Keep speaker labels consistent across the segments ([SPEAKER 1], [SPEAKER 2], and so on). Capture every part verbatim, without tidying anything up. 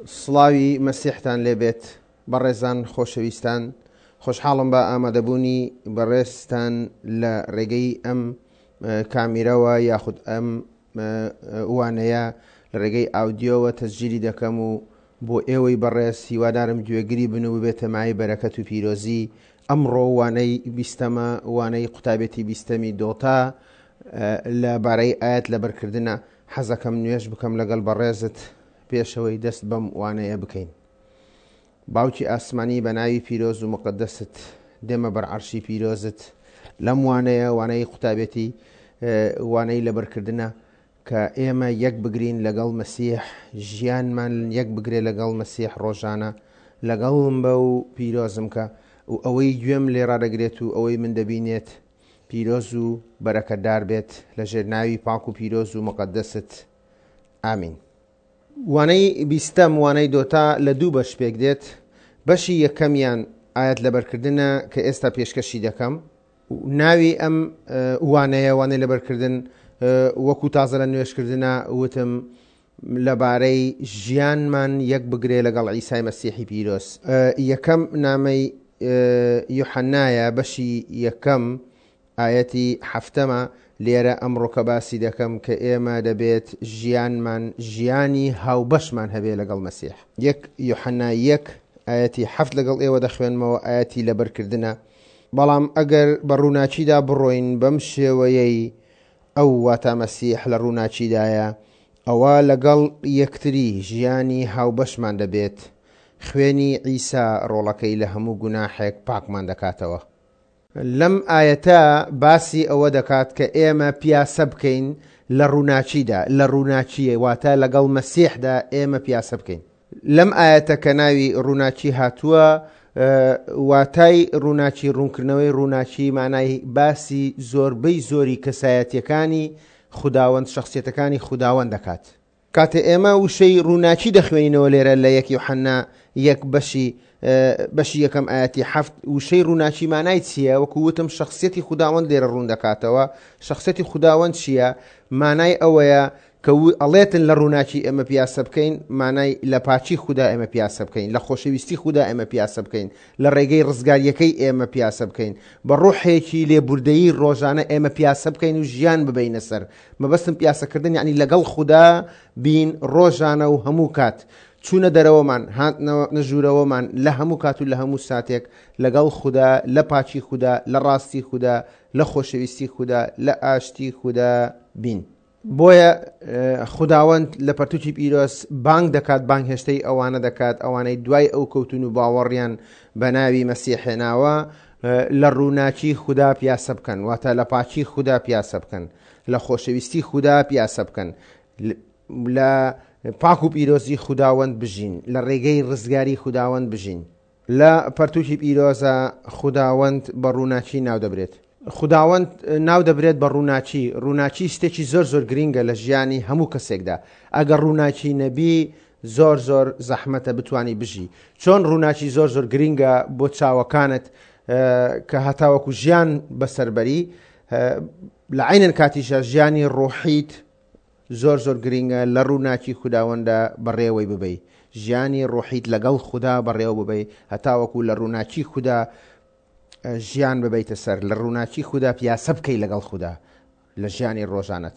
[SPEAKER 1] سڵاوی مەسیحتان لێبێت بەڕێزان خۆشەویستان، خۆشحاڵم بە ئامادەبوونی بەڕێزتان لە ڕێگەی ئەم کامیرەوە یاخود ئەم وانەیە لە ڕێگەی ئاودیۆوە تەسجیلی دەکەم و بۆ ئێوەی بەڕێز هیوادارم گوێگری بن و ببێتە مایەی بەرەکەت و پیرۆزی. ئەمڕۆ وانەی بیستەمە، وانەی قوتابێتی بیستەمی دۆتا لە بارەی ئاەت لەبەرکردنە. حەزەکەم نوێژ بکەم لەگەڵ بەڕێزت پێشەوەی دەست بەم وانەیە بکەین. باوکی ئاسمانی بە ناوی پیرۆز و مقدەست دێمە بەر عەرشی پیرۆزت. لەم وانەیە وانەی قوتابێتی وانەی لەبەرکردنە کە ئێمە یەک بگرین لەگەڵ مەسیح، ژیانمان یەک بگرێ لەگەڵ مەسیح ڕۆژانە، لەگەڵم بە و پیرۆزم کە و ئەوەی گوێم لێ ڕادەگرێت و ئەوەی من دەبینێت پیرۆز و بەرەکەدار بێت لەژێر ناوی پاک و پیرۆز و مقدەست. ئامین. وانەی بیستەم وانەی دۆتا لە دوو بەش پێک دێت. بەشی یەکەمیان ئاەت لەبەرکردنە کە ئێستا پێشکەشی دەکەم. ناوی ئەم وانەیە وانەی لەبەرکردن وەکو تازە لە نوێشکردنە وتم لەبارەی ژیانمان یەک بگرێ لەگەڵ عیسای مەسیحی پیرۆز. یەکەم نامەی یوحەنایە بەشی یەکەم ئاەتی هەفتەمە. لێرە ئەمڕۆکە باسی دەکەم کە ئێمە دەبێت ژیانمان ژیانی هاوبەشمان هەبێ لەگەڵ مەسیح. یەک یوحەنا یەک ئاەتی هەفت لەگەڵ ئێوە دەخوێنمەوە، ئاەتی لەبەرکردنە. بەڵام ئەگەر بە ڕووناچیدا بڕۆین بەم شێوەیەی ئەو واتا مەسیح لە ڕووناچیدایە، ئەوە لەگەڵ یەکتری ژیانی هاوبەشمان دەبێت. خوێنی عیسا ڕۆڵەکەی لە هەموو گوناحێک پاکمان دەکاتەوە. لەم ئاەتە باسی ئەوە دەکات کە ئێمە پیاسە بکەین لە ڕووناچیدا، لە ڕووناچیە واتە لەگەڵ مەسیحدا ئێمە پیاسە بکەین. لەم ئاەتە کە ناوی ڕووناچی هاتووە، واتای ڕووناچی ڕوونکردنەوەی ڕووناچی مانای باسی زۆربەی زۆری کەسایەتیەکانی خوداوەند، شخصیەتەکانی خوداوەند دەکات. کاتێ ئێمە وشەی ڕووناچی دەخوێنینەوە لێرە لە یەک یوحەنا یەک بەشی بەشی یەکەم ئاەتی هەفت، وشەی ڕووناچی مانای چییە؟ وەکو وتم شخصیەتی خوداوەند لێرە ڕوون دەکاتەوە. شخصیەتی خوداوەند چییە؟ مانای ئەوەیە کە ئەڵێتن لە ڕووناچی ئێمە پیاسە بکەین، مانای لە پاچی خودا ئێمە پیاسە بکەین، لە خۆشەویستی خودا ئێمە پیاسە بکەین، لە ڕێگەی ڕزگاریەکەی ئێمە پیاسە بکەین، بە ڕۆحێکی لێبوردەیی ڕۆژانە ئێمە پیاسە بکەین و ژیان ببینە سەر. مەبەستم پیاسەکردن یعنی لەگەڵ خودا بین ڕۆژانە و هەموو کات، چوونە دەرەوەمان، هاتنەوە نەژوورەوەمان، لە هەموو کات و لە هەموو ساتێک لەگەڵ خودا، لە پاچی خودا، لە ڕاستی خودا، لە خۆشەویستی خودا، لە ئاشتی خودا بین. بۆیە خوداوەند لە پەرتوکی پیرۆز بانگ دەکات، بانگهێشتەی ئەوانە دەکات، ئەوانەی دوای ئەو کەوتون و باوەڕیان بە ناوی مەسیح هێناوە لە ڕووناچی خودا پیاسە بکەن، واتە لە پاچی خودا پیاسە بکەن، لە خۆشەویستی خودا پیاسە بکەن، لە پاک و پیرۆزی خوداوەند بژین، لە ڕێگەی ڕزگاری خوداوەند بژین. لە پەرتوکی پیرۆزە خوداوەند بە ڕووناچی ناو دەبرێت. خوداوەند ناو دەبرێت بە ڕووناچی. ڕووناچی شتێکی زۆر زۆر گرینگە لە ژیانی هەموو کەسێکدا. ئەگەر ڕووناچی نەبی زۆر زۆر زەحمەتە بتانی بژی. چۆن ڕووناچی زۆر زۆر گرینگە بۆ چاوەکانت کە هەتاوەکو ژیان بەسەربەری، لە عینەن کاتیشە ژیانی ڕۆحیت زۆر زۆر گرینگە لە ڕووناچی خوداوەندە بەڕێوەی ببەی، ژیانی ڕۆحیت لەگەڵ خودا بەڕێوە ببەی هەتاوەکو لە ڕووناچی خودا ژیان ببەیتە سەر، لە ڕووناچی خودا پیاسە بکەی لەگەڵ خودا لە ژیانی ڕۆژانەت.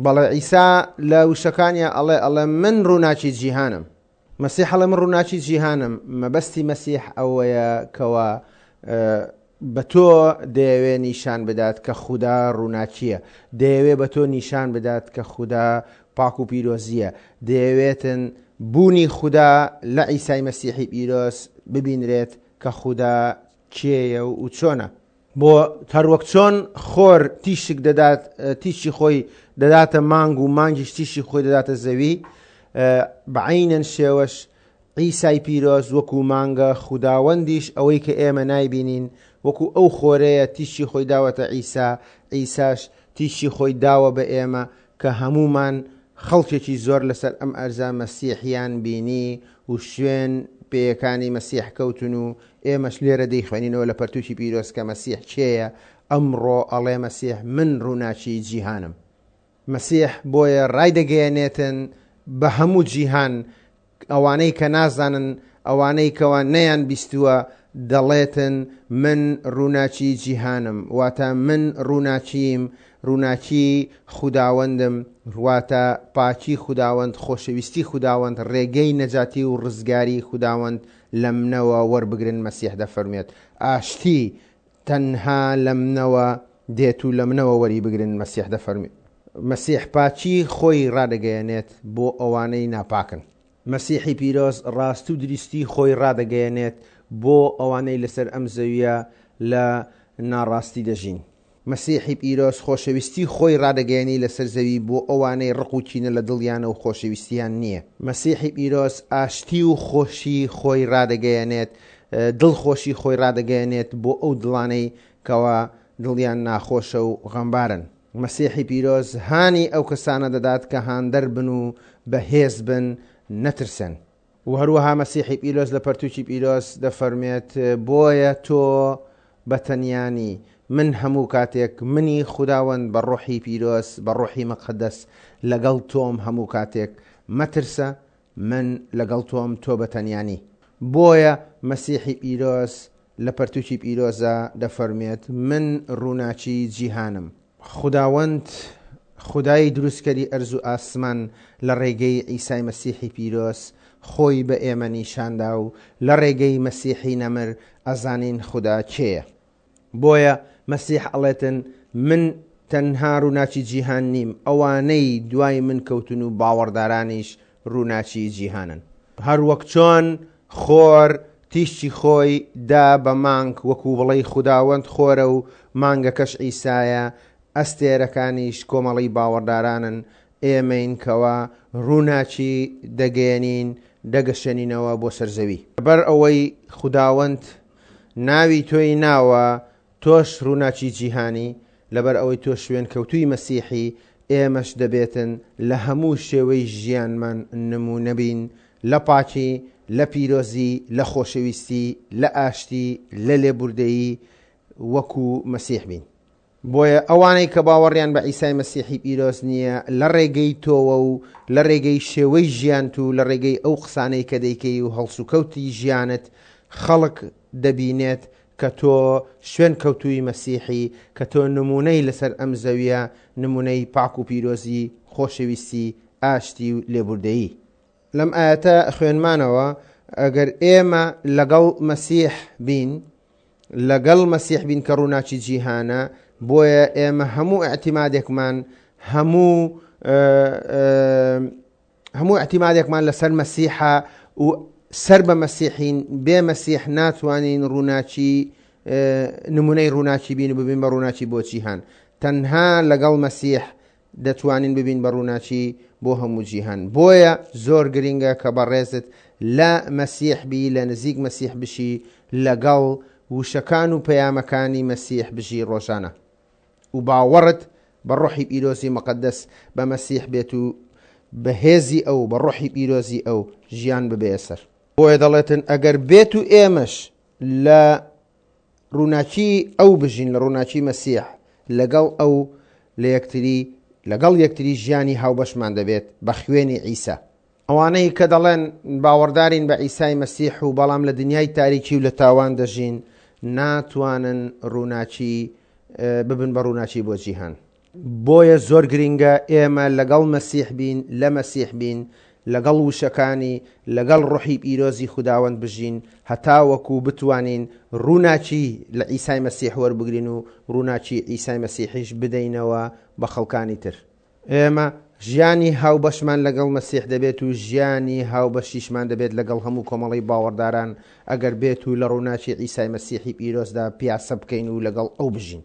[SPEAKER 1] بەڵێ عیسا لە وشەکانیان ئەڵێ ئەڵێ من ڕووناچی جیهانم. مەسیح ئەڵێ من ڕووناچی جیهانم. مەبەستی مەسیح ئەوەیە کەوا بە تۆ دەیەوێ نیشان بدات کە خودا ڕووناچییە، دەیەوێ بە تۆ نیشان بدات کە خودا پاک و پیرۆزیە، دەیەوێتن بوونی خودا لە عیسای مەسیحی پیرۆز ببینرێت کە خودا کێیە و چۆنە. بۆ هەروەک چۆن خۆر تیشک دەدات، تیشی خۆی دەداتە مانگ و مانگیش تیشی خۆی دەداتە زەوی، بەعینەن شێوەش عیسای پیرۆز وەکو مانگە، خوداوەندیش ئەوەی کە ئێمە نایبینین وەکو ئەو خۆرەیە تیشی خۆی داوەتە عیسا، عیساش تیشی خۆی داوە بە ئێمە کە هەمومان خەڵکێکی زۆر لەسەر ئەم ئەرزا مەسیحیان بینی و شوێن پێیەکانی مەسیح کەوتن و ئێمەش لێرە دەیخوێنینەوە لە پەرتوکی پیرۆز کە مەسیح کێیە. ئەمڕۆ ئەڵێ مەسیح من ڕووناچی جیهانم. مەسیح بۆیە ڕای دەگەیەنێتن بە هەموو جیهان ئەوانەی کە نازانن، ئەوانەی کەوا نەیان بیستووە دەڵێتن من ڕووناکی جیهانم، واتە من ڕووناکیم، ڕووناکی خوداوەندم، واتە پاکی خوداوەند، خۆشەویستی خوداوەند، ڕێگەی نەجاتی و ڕزگاری خوداوەند لە منەوە وەربگرن. مەسیح دەفەرمێت ئاشتی تەنها لە منەوە دێت و لە منەوە وەری بگرن. مەسیح دەفەرمێت مەسیح پاکی خۆی ڕادەگەیەنێت بۆ ئەوانەی ناپاکن. مەسیحی پیرۆز ڕاست و دروستی خۆی ڕادەگەیەنێت بۆ ئەوانەی لەسەر ئەم زەویە لە ناڕاستی دەژین. مەسیحی پیرۆز خۆشەویستی خۆی ڕادەگەیەنی لەسەر زەوی بۆ ئەوانەی ڕق و کینە لە دڵیانە و خۆشەویستیان نییە. مەسیحی پیرۆز ئاشتی و خۆشی خۆی ڕادەگەیەنێت، دڵخۆشی خۆی ڕادەگەیەنێت بۆ ئەو دڵانەی کەوا دڵیان ناخۆشە و غەمبارن. مەسیحی پیرۆز هانی ئەو کەسانە دەدات کە هاندەر بن و بەهێز بن، نەترسن. و هەروەها مەسیحی پیرۆز لە پەرتوکی پیرۆز دەفەرمێت بۆیە تۆ بەتەنیانی، من هەموو کاتێک منی خوداوەند بە ڕۆحی پیرۆز، بە ڕۆحی مقدس لەگەڵ تۆم هەموو کاتێک، مەترسە، من لەگەڵ تۆم، تۆ بەتەنیانی. بۆیە مەسیحی پیرۆز لە پەرتوکی پیرۆزە دەفەرمێت من ڕووناکی جیهانم. خوداوەند خودای دروستکەری ئەرز و ئاسمان لە ڕێگەی عیسای مەسیحی پیرۆز خۆی بە ئێمە نیشاندا و لە ڕێگەی مەسیحی نەمر ئەزانین خودا کێیە. بۆیە مەسیح ئەڵێتن من تەنها ڕووناکی جیهان نیم، ئەوانەی دوای من کەوتن و باوەڕدارانیش ڕووناکی جیهانن. هەر وەک چۆن خۆر تیشکی خۆی دا بە مانگ، وەکو بڵێی خوداوەند خۆرە و مانگەکەش عیسایە، ئەستێرەکانیش کۆمەڵی باوەڕدارانن، ئێمەین کەوا ڕووناکی دەگەیەنین، دەگەشێنینەوە بۆ سەر زەوی. لەبەر ئەوەی خوداوەند ناوی تۆی ناوە، تۆش ڕووناکی جیهانی، لەبەر ئەوەی تۆ شوێن کەوتووی مەسیحی، ئێمەش دەبێتن لە هەموو شێوەی ژیانمان نموونە بین، لە پاکی، لە پیرۆزی، لە خۆشەویستی، لە ئاشتی، لە لێبوردەیی وەکو مەسیح بین. بۆیە ئەوانەی کە باوەڕیان بە عیسای مەسیحی پیرۆز نییە، لە ڕێگەی تۆوە و لە ڕێگەی شێوەی ژیانت و لە ڕێگەی ئەو قسانەی کە دەیکەی و هەڵسوکەوتی ژیانت، خەڵک دەبینێت کە تۆ شوێن کەوتووی مەسیحی، کە تۆ نمونەی لەسەر ئەم زەویە، نمونەی پاک و پیرۆزی، خۆشەویستی، ئاشتی و لێبوردەیی. لەم ئاەتە خوێنمانەوە ئەگەر ئێمە لەگەڵ مەسیح بین، لەگەڵ مەسیح بین کە ڕووناکی جیهانە، بۆیە ئێمە هەموو اعتیمادێکمان، هەموو هەموو اعتیمادێکمان لەسەر مەسیحە و سەر بە مەسیحین. بێ مەسیح ناتوانین ڕووناکی نمونەی ڕووناکی بین و ببین بە ڕووناکی بۆ جیهان. تەنها لەگەڵ مەسیح دەتوانین ببین بە ڕووناکی بۆ هەموو جیهان. بۆیە زۆر گرنگە کە بەڕێزت لە مەسیح بی، لە نزیک مەسیح بشی، لەگەڵ وشەکان و پەیامەکانی مەسیح بژی ڕۆژانە و باوەڕت بە ڕۆحی پیرۆزی مقدس بە مەسیح بێت و بەهێزی ئەو، بە ڕۆحی پیرۆزی ئەو ژیان ببێ سەر. بۆیە دەڵێتن ئەگەر بێت و ئێمەش لە ڕووناکی ئەو بژین، لە ڕووناکی مەسیح، لەگەڵ ئەو لە یەکتری، لەگەڵ یەکتری ژیانی هاوبەشمان دەبێت بە خوێنی عیسا. ئەوانەی کە دەڵێن باوەڕدارین بە عیسای مەسیح و بەڵام لە دنیای تاریکی و لە تاوان دەژین، ناتوانن ڕووناکی ببن بە ڕووناکی بۆ جیهان. بۆیە زۆر گرنگە ئێمە لەگەڵ مەسیح بین، لە مەسیح بین، لەگەڵ وشەکانی، لەگەڵ ڕۆحی پیرۆزی خوداوەند بژین، هەتا وەکو بتوانین ڕووناکی لە عیسای مەسیح وەربگرین و ڕووناکی عیسای مەسیحیش بدەینەوە بە خەڵکانی تر. ئێمە ژیانی هاوبەشمان لەگەڵ مەسیح دەبێت و ژیانی هاوبەشیشمان دەبێت لەگەڵ هەموو کۆمەڵی باوەڕداران ئەگەر بێت و لە ڕووناکی عیسای مەسیحی پیرۆزدا پیاسە بکەین و لەگەڵ ئەو بژین.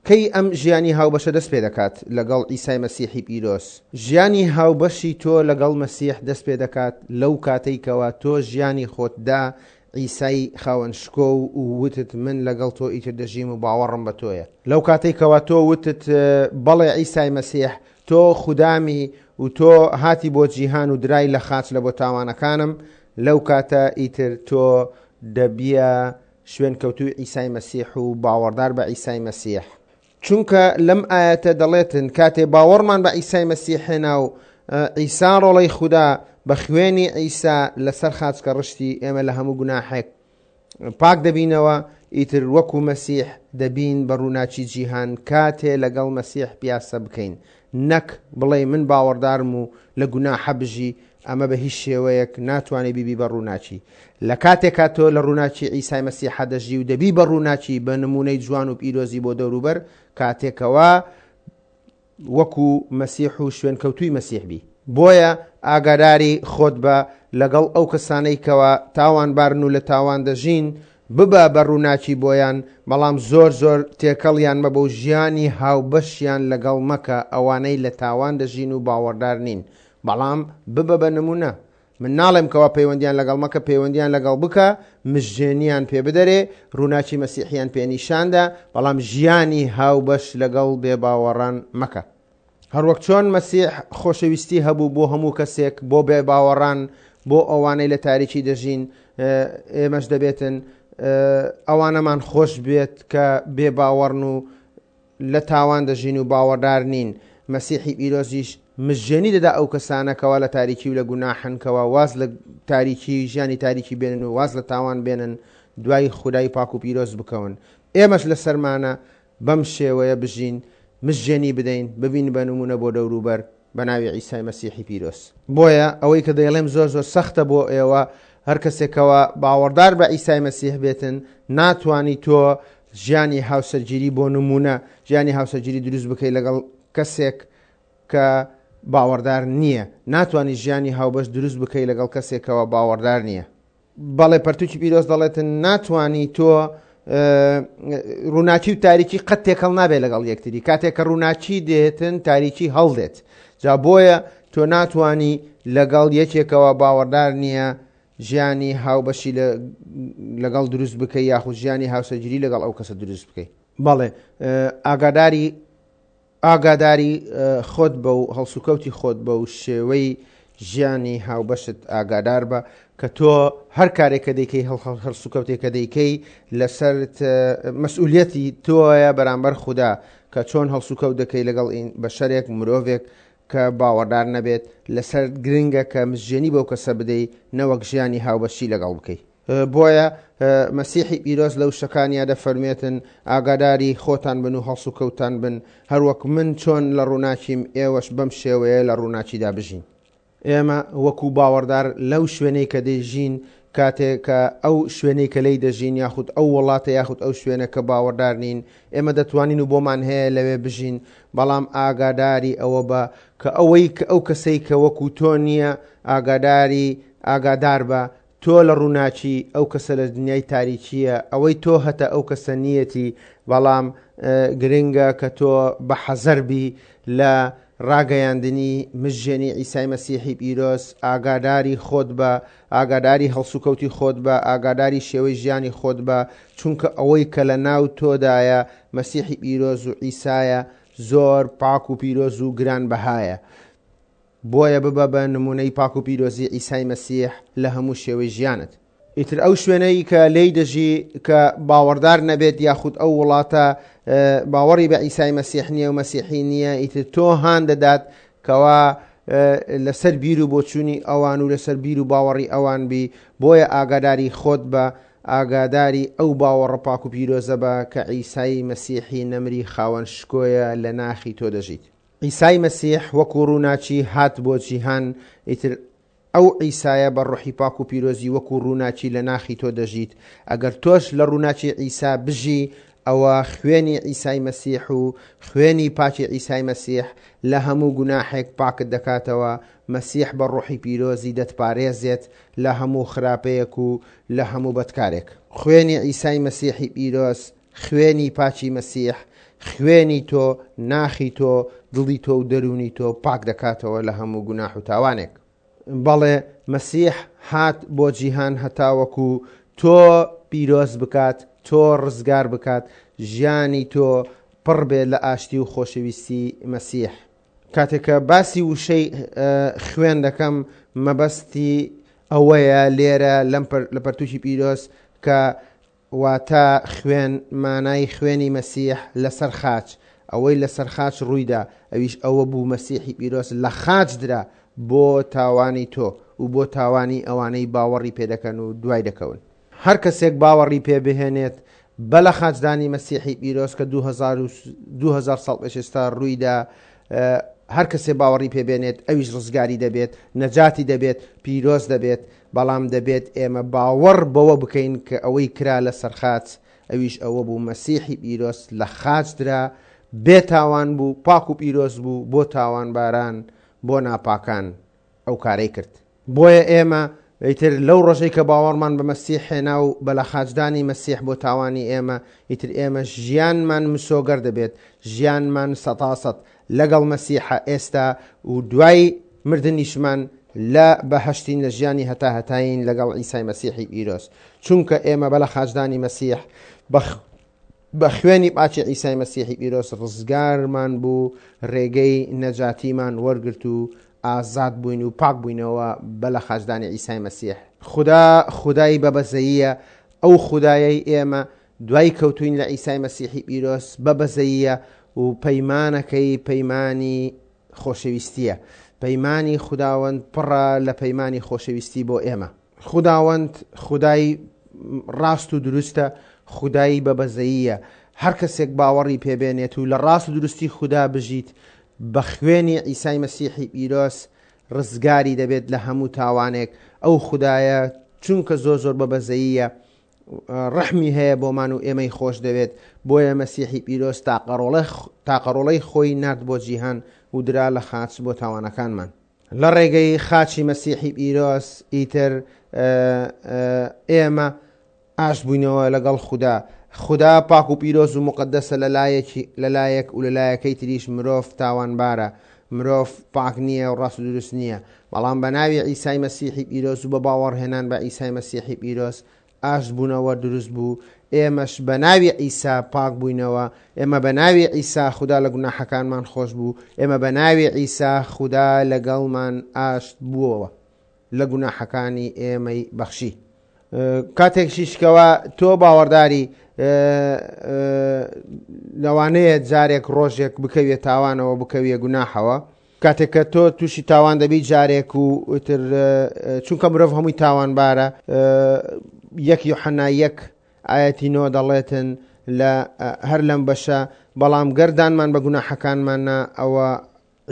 [SPEAKER 1] کەی ئەم ژیانی هاوبەشە دەست پێ دەکات لەگەڵ عیسای مەسیحی پیرۆز؟ ژیانی هاوبەشی تۆ لەگەڵ مەسیح دەست پێ دەکات لەو کاتەی کەوا تۆ ژیانی خۆتدا عیسای خاوەن شکۆ و وتت من لەگەڵ تۆ ئیتر دەژیم و باوەڕم بە تۆیە. لەو کاتەی کەوا تۆ وتت بەڵێ عیسای مەسیح تۆ خودامی و تۆ هاتی بۆ جیهان و درای لە خاچ لە بۆ تاوانەکانم، لەو کاتە ئیتر تۆ دەبیە شوێن کەوتووی عیسای مەسیح و باوەڕدار بە عیسای مەسیح. چونکە لەم ئاەتە دەڵێتن کاتێ باوەڕمان بە عیسای مەسیح هێنا و عیسا ڕۆڵەی خودا بە خوێنی عیسا لەسەر خاچ کە ڕشتی ئێمە لە هەموو گوناحێک پاک دەبینەوە. ئیتر وەکو مەسیح دەبین بە ڕووناکی جیهان کاتێ لەگەڵ مەسیح پیاسە بکەین، نەک بڵێ من باوەڕدارم و لە گوناحە بژی، ئەمە بە هیچ شێوەیەک ناتوانێت بیبی بە ڕووناکی. لە کاتێکا تۆ لە ڕووناکی عیسای مەسیحە دەژی و دەبی بە ڕووناکی بە نمونەی جوان و پیرۆزی بۆ دەوروبەر، کاتێکەوە وەکو مەسیح و شوێنکەوتووی مەسیح بی. بۆیە ئاگاداری خۆت بە لەگەڵ ئەو کەسانەی کەوا تاوانبارن و لە تاوان دەژین، ببە بە ڕووناکی بۆیان، بەڵام زۆر زۆر تێکەڵیان مەبە و ژیانی هاوبەشیان لەگەڵ مەکە ئەوانەی لە تاوان دەژین و باوەڕدار نین، بەڵام ببە بە نمونە. من ناڵێم کەوا پەیوەندیان لەگەڵ مەکە، پەیوەندیان لەگەڵ بکە، مژێنیان پێ بدەرێ، ڕووناکی مەسیحیان پێنیشاندا، بەڵام ژیانی هاوبەش لەگەڵ بێباوەڕان مەکە. هەروەک چۆن مەسیح خۆشەویستی هەبوو بۆ هەموو کەسێک، بۆ بێباوەڕان، بۆ ئەوانەی لە تاریکی دەژین، ئێمەش دەبێتن ئەوانەمان خۆش بێت کە بێباوەڕن و لە تاوان دەژین و باوەڕدار نین. مەسیحی پیرۆزیش مژێنی دەدا ئەو کەسانەکەوە لە تاریکی و لە گوناحنکەوە واز لە تاریکی ژیانی تاریکی بێنن و واز لە تاوان بێنن، دوای خودای پاک و پیرۆز بکەون. ئێمەش لە سەرمانە بەم شێوەیە بژین، مژێنی بدەین، ببین بە نمونە بۆ دەوروبەر بە ناوی عیسای مەسیحی پیرۆز. بۆیە ئەوەی کە دەیڵێم زۆر زۆر سەختە بۆ ئێوە، هەر کەسێکەوە باوەڕدار بە عیسای مەسیح بێتن، ناتوانی تۆ ژیانی هاوسەرگیری بۆ نمونە ژیانی هاوسەرگیری دروست بکەیت لەگەڵ کەسێک کە باوەڕدار نییە، ناتوانی ژیانی هاوبەش دروست بکەیت لەگەڵ کەسێکەوە باوەڕدار نییە. بەڵێ پەرتوکی پیرۆز دەڵێتن ناتوانی تۆ ڕووناکی و تاریکی قەت تێکەڵ نابێت لەگەڵ یەکتری. کاتێک کە ڕووناکی دێتن تاریکی هەڵدێت. جا بۆیە تۆ ناتوانی لەگەڵ یەکێکەوە باوەڕدار نییە ژیانی هاوبەشی لەگەڵ دروست بکەی یاخود ژیانی هاوسەرگیری لەگەڵ ئەو کەسە دروست بکەی. بەڵێ ئاگاداری ئاگاداری خۆت بە و هەڵسوکەوتی خۆت بە و شێوەی ژیانی هاوبەشت ئاگادار بە کە تۆ هەر کارێک کە دەیکەی، هەڵسوکەوتێک کە دەیکەی لەسەرت مەسئولیەتی تۆیە بەرامبەر خودا کە چۆن هەڵسوکەوت دەکەی لەگەڵ بەشەرێک مرۆڤێک کە باوەڕدار نەبێت. لەسەر گرنگە کە مژێنی بەو کەسە بدەی نەوەک ژیانی هاوبەشی لەگەڵ بکەی. بۆیە مەسیحی پیرۆز لەو شەکانیا دەفەرمێتن ئاگاداری خۆتان بن و هەڵسوکەوتان بن، هەروەک من چۆن لە ڕووناکیم ئێوەش بەم شێوەیە لە ڕووناکیدا بژین. ئێمە وەکو باوەڕدار لەو شوێنەی کە دەژین، کاتێک کە ئەو شوێنەی کە لێی دەژین یاخود ئەو وڵاتە یاخود ئەو شوێنە کە باوەڕدار نین، ئێمە دەتوانین و بۆمان هەیە لەوێ بژین، بەڵام ئاگاداری ئەوە بە کە ئەوەی کە ئەو کەسەی کە وەکو تۆ نییە ئاگاداری ئاگادار بە تۆ لە ڕووناکی ئەو کەسە لە دنیای تاریکیە، ئەوەی تۆ هەتە ئەو کەسە نیەتی. بەڵام گرنگە کە تۆ بە حەزەر بی لە ڕاگەیاندنی مژێنی عیسای مەسیحی پیرۆز، ئاگاداری خۆت بە، ئاگاداری هەڵسوکەوتی خۆت بە، ئاگاداری شێوەی ژیانی خۆت بە، چونکە ئەوەی کە لە ناو تۆدایە مەسیحی پیرۆز و عیسایە زۆر پاک و پیرۆز و گران بەهایە. بۆیە ببە بە نمونەی پاک و پیرۆزی عیسای مەسیح لە هەموو شێوەی ژیانت. ئیتر ئەو شوێنەی کە لێی دەژی کە باوەڕدار نەبێت یاخود ئەو وڵاتە باوەڕی بە عیسای مەسیح نییە و مەسیحی نییە، ئیتر تۆ هان دەدات کەوا لەسەر بیر و بۆچوونی ئەوان و لەسەر بیر و باوەڕی ئەوان بی. بۆیە ئاگاداری خۆت بە، ئاگاداری ئەو باوەڕە پاک و پیرۆزە بە کە عیسای مەسیحی نەمری خاوەن شکۆیە لە ناخی تۆ دەژیت. عیسای مەسیح وەکو ڕووناکی هات بۆ جیهان، ئیتر ئەو عیسایە بە ڕۆحی پاک و پیرۆزی وەکو ڕووناکی لە ناخی تۆ دەژیت. ئەگەر تۆش لە ڕووناکی عیسا بژی، ئەوە خوێنی عیسای مەسیح و خوێنی پاکی عیسای مەسیح لە هەموو گوناحێک پاکت دەکاتەوە. مەسیح بە ڕۆحی پیرۆزی دەتپارێزێت لە هەموو خراپەیەک و لە هەموو بەدکارێک. خوێنی عیسای مەسیحی پیرۆز، خوێنی پاکی مەسیح، خوێنی تۆ، ناخی تۆ، دڵی تۆ و دەرونی تۆ پاک دەکاتەوە لە هەموو گوناح و تاوانێک. بەڵێ مەسیح هات بۆ جیهان هەتاوەکو تۆ پیرۆز بکات، تۆ ڕزگار بکات، ژیانی تۆ پڕ بێت لە ئاشتی و خۆشەویستی مەسیح. کاتێک کە باسی وشەی خوێن دەکەم، مەبەستی ئەوەیە لێرە لە پەرتوکی پیرۆز کە واتە خوێن مانای خوێنی مەسیح لەسەر خاچ، ئەوەی لەسەر خاچ ڕوویدا، ئەویش ئەوە بوو مەسیحی پیرۆز لە خاچ درا بۆ تاوانی تۆ و بۆ تاوانی ئەوانەی باوەڕی پێدەکەن و دوای دەکەون. هەر کەسێک باوەڕی پێ بهێنێت بە لە خاچدانی مەسیحی پیرۆز کە دوو هەزار ساڵ پێش ئێستا ڕوویدا، هەر کەسێ باوەڕی پێ بێنێت ئەویش ڕزگاری دەبێت، نەجاتی دەبێت، پیرۆز دەبێت. بەڵام دەبێت ئێمە باوەڕ بەوە بکەین کە ئەوەی کرا لەسەر خاچ ئەویش ئەوە بوو مەسیحی پیرۆز لە خاچ درا، بێتاوان بوو، پاک و پیرۆز بوو، بۆ تاوانباران، بۆ ناپاکان ئەو کارەی کرد. بۆیە ئێمە ئیتر لەو ڕۆژەی کە باوەڕمان بە مەسیح هێنا و بە لە خاچدانی مەسیح بۆ تاوانی ئێمە، ئیتر ئێمە ژیانمان مسۆگەر دەبێت، ژیانمان سەتاسەت لەگەڵ مەسیحە ئێستا و دوای مردنیشمان لە بەهەشتین لە ژیانی هەتا هەتاین لەگەڵ عیسای مەسیحی پیرۆز. چونکە ئێمە بە لە خاچدانی مەسیح بە خوێنی پاچی عیسای مەسیحی پیرۆز ڕزگارمان بوو، ڕێگەی نەجاتیمان وەرگرت و ئازاد بووین و پاک بووینەوە بە لە خاچدانی عیسای مەسیح. خودا خودای بەبەزەییە، ئەو خودایەی ئێمە دوای کەوتوین لە عیسای مەسیحی پیرۆز بەبەزەییە و پەیمانەکەی پەیمانی خۆشەویستیە. پەیمانی خوداوەند پڕە لە پەیمانی خۆشەویستی بۆ ئێمە. خوداوەند خودای ڕاست و دروستە، خودای بەبەزەییە. هەر کەسێک باوەڕی پێبێنێت و لە ڕاست و دروستی خودا بژیت، بە خوێنی عیسای مەسیحی پیرۆز ڕزگاری دەبێت لە هەموو تاوانێک. ئەو خودایە چونکە زۆر زۆر بەبەزەییە، ڕەحمی هەیە بۆمان و ئێمەی خۆش دەوێت. بۆیە مەسیحی پیرۆز تاقەڕۆڵەی خۆی نارد بۆ جیهان و درا لە خاچ بۆ تاوانەکانمان. لە ڕێگەی خاچی مەسیحی پیرۆز ئیتر ئێمە ئاشت بووینەوە لەگەڵ خودا. خودا پاک و پیرۆز و مقدەسە لەلایەک و لەلایەکەی تریش مرۆڤ تاوانبارە، مرۆڤ پاک نییە و ڕاست و دروست نییە. بەڵام بە ناوی عیسای مەسیحی پیرۆز و بە باوەڕهێنان بە عیسای مەسیحی پیرۆز ئاشت بوونەوە دروست بوو. ئێمەش بە ناوی عیسا پاک بووینەوە، ئێمە بە ناوی عیسا خودا لە گوناحەکانمان خۆش بوو، ئێمە بە ناوی عیسا خودا لەگەڵمان ئاشت بووەوە، لە گوناحەکانی ئێمەی بەخشی. کاتێک شیشکەوە تۆ باوەڕداری لەوانەیە جارێک ڕۆژێک بکەویە تاوانەوە، بکەویە گوناحەوە. کاتێک کە تۆ تووشی تاوان دەبی جارێک و ئیتر چونکە مرۆڤ هەمووی تاوانبارە، یەک یۆحەنا یەک ئایەتی نۆ دەڵێتن لە هەر لەم بەشە، بەڵام گەردانمان بە گوناحەکانماننا، ئەوە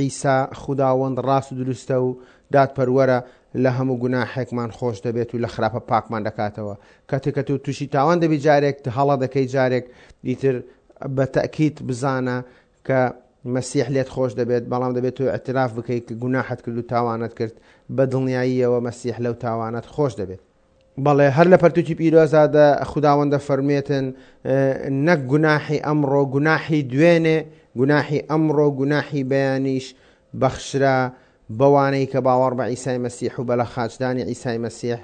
[SPEAKER 1] عیسا خوداوەند ڕاست و دروستە و دادپەروەرە، لە هەموو گوناحێکمان خۆش دەبێت و لە خراپە پاکمان دەکاتەوە. کاتێک کە تۆ تووشی تاوان دەبی جارێک، هەڵە دەکەی جارێک، ئیتر بە تەئکید بزانە کە مەسیح لێت خۆش دەبێت، بەڵام دەبێت تۆ اعتراف بکەیت کە گوناحت کرد و تاوانت کرد، بە دڵنیاییەوە مەسیح لەو تاوانت خۆش دەبێت. بەڵێ هەر لە پەرتوکی پیرۆزادا خوداوەندە فەرمێتن نەک گوناحی ئەمڕۆ، گوناحی دوێنێ، گوناحی ئەمڕۆ، گوناحی بەیانیش بەخشرا بەوانەی کە باوەڕ بە عیسای مەسیح و بە لە خاچدانی عیسای مەسیح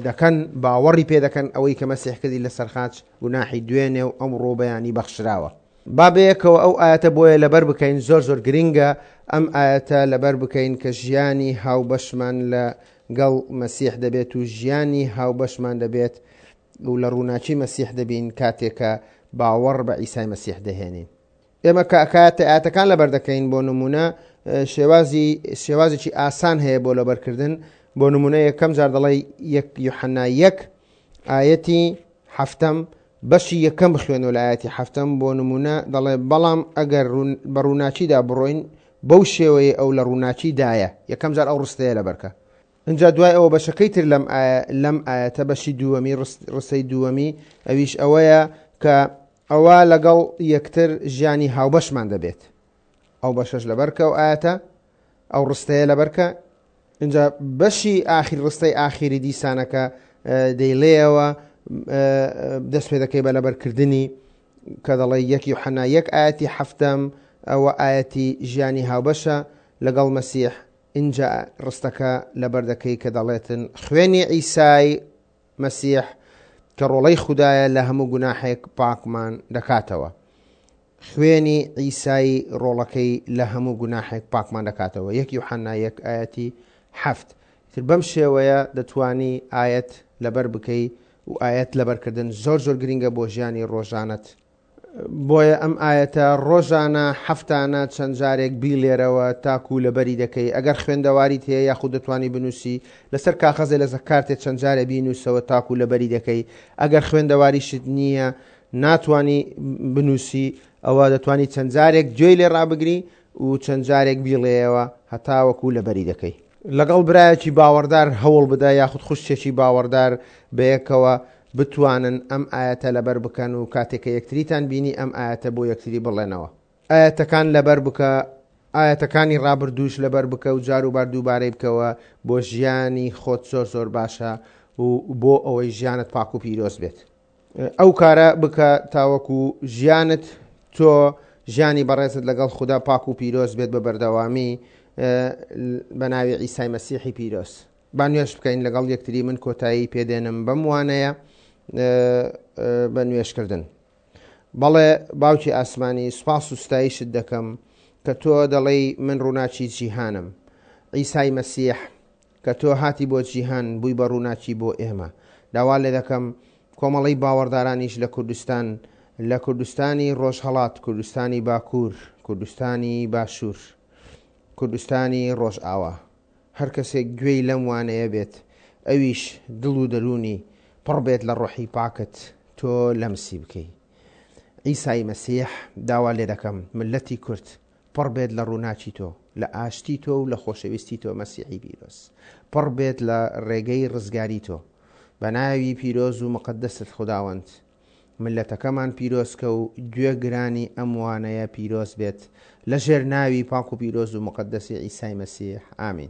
[SPEAKER 1] دەکەن، باوەڕی پێ دەکەن ئەوەی کە مەسیح کردی لەسەر خاچ گوناحی دوێنێ و ئەمڕۆ بەیانی بەخشراوە. با بەیەکەوە ئەو ئایەتە بۆیە لەبەر بکەین، زۆر زۆر گرنگە ئەم ئایەتە لەبەر بکەین کە ژیانی هاوبەشمان لەگەڵ مەسیح دەبێت و ژیانی هاوبەشمان دەبێت و لە ڕووناکی مەسیح دەبین کاتێکە باوەڕ بە عیسای مەسیح دەهێنین. ئێمە کە کاتە ئایەتەکان لەبەر دەکەین، بۆ نمونە شێوازی شێوازێکی ئاسان هەیە بۆ لەبەرکردن. بۆ نمونە یەکەم جار دەڵێ یەک یۆحەنا یەک ئایەتی هەفتەم بەشی یەکەم بخوێنەوە لە ئایەتی هەفتەم. بۆ نمونە دەڵێ بەڵام ئەگەر بە ڕووناکیدا بڕۆین بەو شێوەیە ئەو لە ڕووناکیدایە. یەکەم جار ئەو ڕستەیە لەبەرکە. اینجا دوای ئەوە بەشەکەی تر لەم لەم ئایەتە بەشی دووەمی ڕستەی دووەمی ئەویش ئەوەیە کە ئەوە لەگەڵ یەکتر ژیانی هاوبەشمان دەبێت. ئەو بەشەش لەبەرکە ئەو ئایەتە ئەو ڕستەیە لەبەرکە. اینجا بەشی ئاخیر ڕستەی ئاخیری دیسانەکە دەیڵێەوە دەست پێ دەکەی بە لەبەرکردنی کە دەڵێ یەک یۆحەنا یەک ئایەتی هەفتەم ئەوە ئایەتی ژیانی هاوبەشە لەگەڵ مەسیح. اینجا ڕستەکە لەبەر دەکەی کە دەڵێتن خوێنی عیسای مەسیح کە ڕۆڵەی خودایە لە هەموو گوناحێک پاکمان دەکاتەوە. خوێنی عیسای ڕۆڵەکەی لە هەموو گوناحێک پاکمان دەکاتەوە. یەک یۆحەنا یەک ئایەتی هەفت. تر بەم شێوەیە دەتوانی ئایەت لەبەر بکەی و ئایەت لەبەرکردن زۆر زۆر گرنگە بۆ ژیانی ڕۆژانەت. بۆیە ئەم ئایەتە ڕۆژانە هەفتانە چەند جارێک بیڵێرەوە تاکو لەبەری دەکەی ئەگەر خوێندەواریت هەیە یاخود دەتوانی بنووسی لەسەر کاخەزێ لە کارتێ چەند جارێ بینووسەوە تاکو لەبەری دەکەی ئەگەر خوێندەواریشت نییە ناتوانی بنووسی ئەوە دەتوانی چەند جارێک گوێی لێ ڕابگری و چەند جارێک بیڵێیەوە هەتاوەکو لەبەری دەکەی. لەگەڵ برایەکی باوەڕدار هەوڵ بدە یاخود خوشکێکی باوەڕدار بەیەکەوە بتوانن ئەم ئایەتە لەبەر بکەن و کاتێک کە یەکتریتان بینی ئەم ئایەتە بۆ یەکتری بڵێنەوە. ئایەتەکان لەبەر بکە، ئایەتەکانی ڕابردووش لەبەر بکە و جاروبار دووبارەی بکەوە بۆ ژیانی خۆت زۆر زۆر باشە و بۆ ئەوەی ژیانت پاک و پیرۆز بێت. ئەو کارە بکە تاوەکو ژیانت تۆ ژیانی بەڕێزت لەگەڵ خودا پاک و پیرۆز بێت بە بەردەوامی بە ناوی عیسای مەسیحی پیرۆز. با نوێژ بکەین لەگەڵ یەکتری من کۆتایی پێدێنم بەم وانەیە بە نوێژکردن. بەڵێ باوکی ئاسمانی سوپاس و ستایشت دەکەم کە تۆ دەڵێی من ڕووناکی جیهانم. عیسای مەسیح کە تۆ هاتی بۆ جیهان بووی بە ڕووناکی بۆ ئێمە. داوا لێ دەکەم کۆمەڵەی باوەڕدارانیش لە کوردستان لە کوردستانی ڕۆژهەڵات، کوردستانی باکوور، کوردستانی باشوور، کوردستانی ڕۆژئاوا هەر کەسێک گوێی لەم وانەیە بێت ئەویش دڵ و دەروونی پڕ بێت لە ڕۆحی پاکت تۆ لەمسی بکەی. عیسای مەسیح داوا لێ دەکەم ملەتی کورد پڕ بێت لە ڕووناکی تۆ، لە ئاشتی تۆ و لە خۆشەویستی تۆ مەسیحی پیرۆز. پڕ بێت لە ڕێگەی ڕزگاری تۆ. بە ناوی پیرۆز و مقەدەست خوداوەند ملەتەکەمان پیرۆز کە و گوێ گرانی ئەم وانەیە پیرۆز بێت لە ژێر ناوی پاک و پیرۆز و مقەدەسی عیسای مەسیح. ئامین.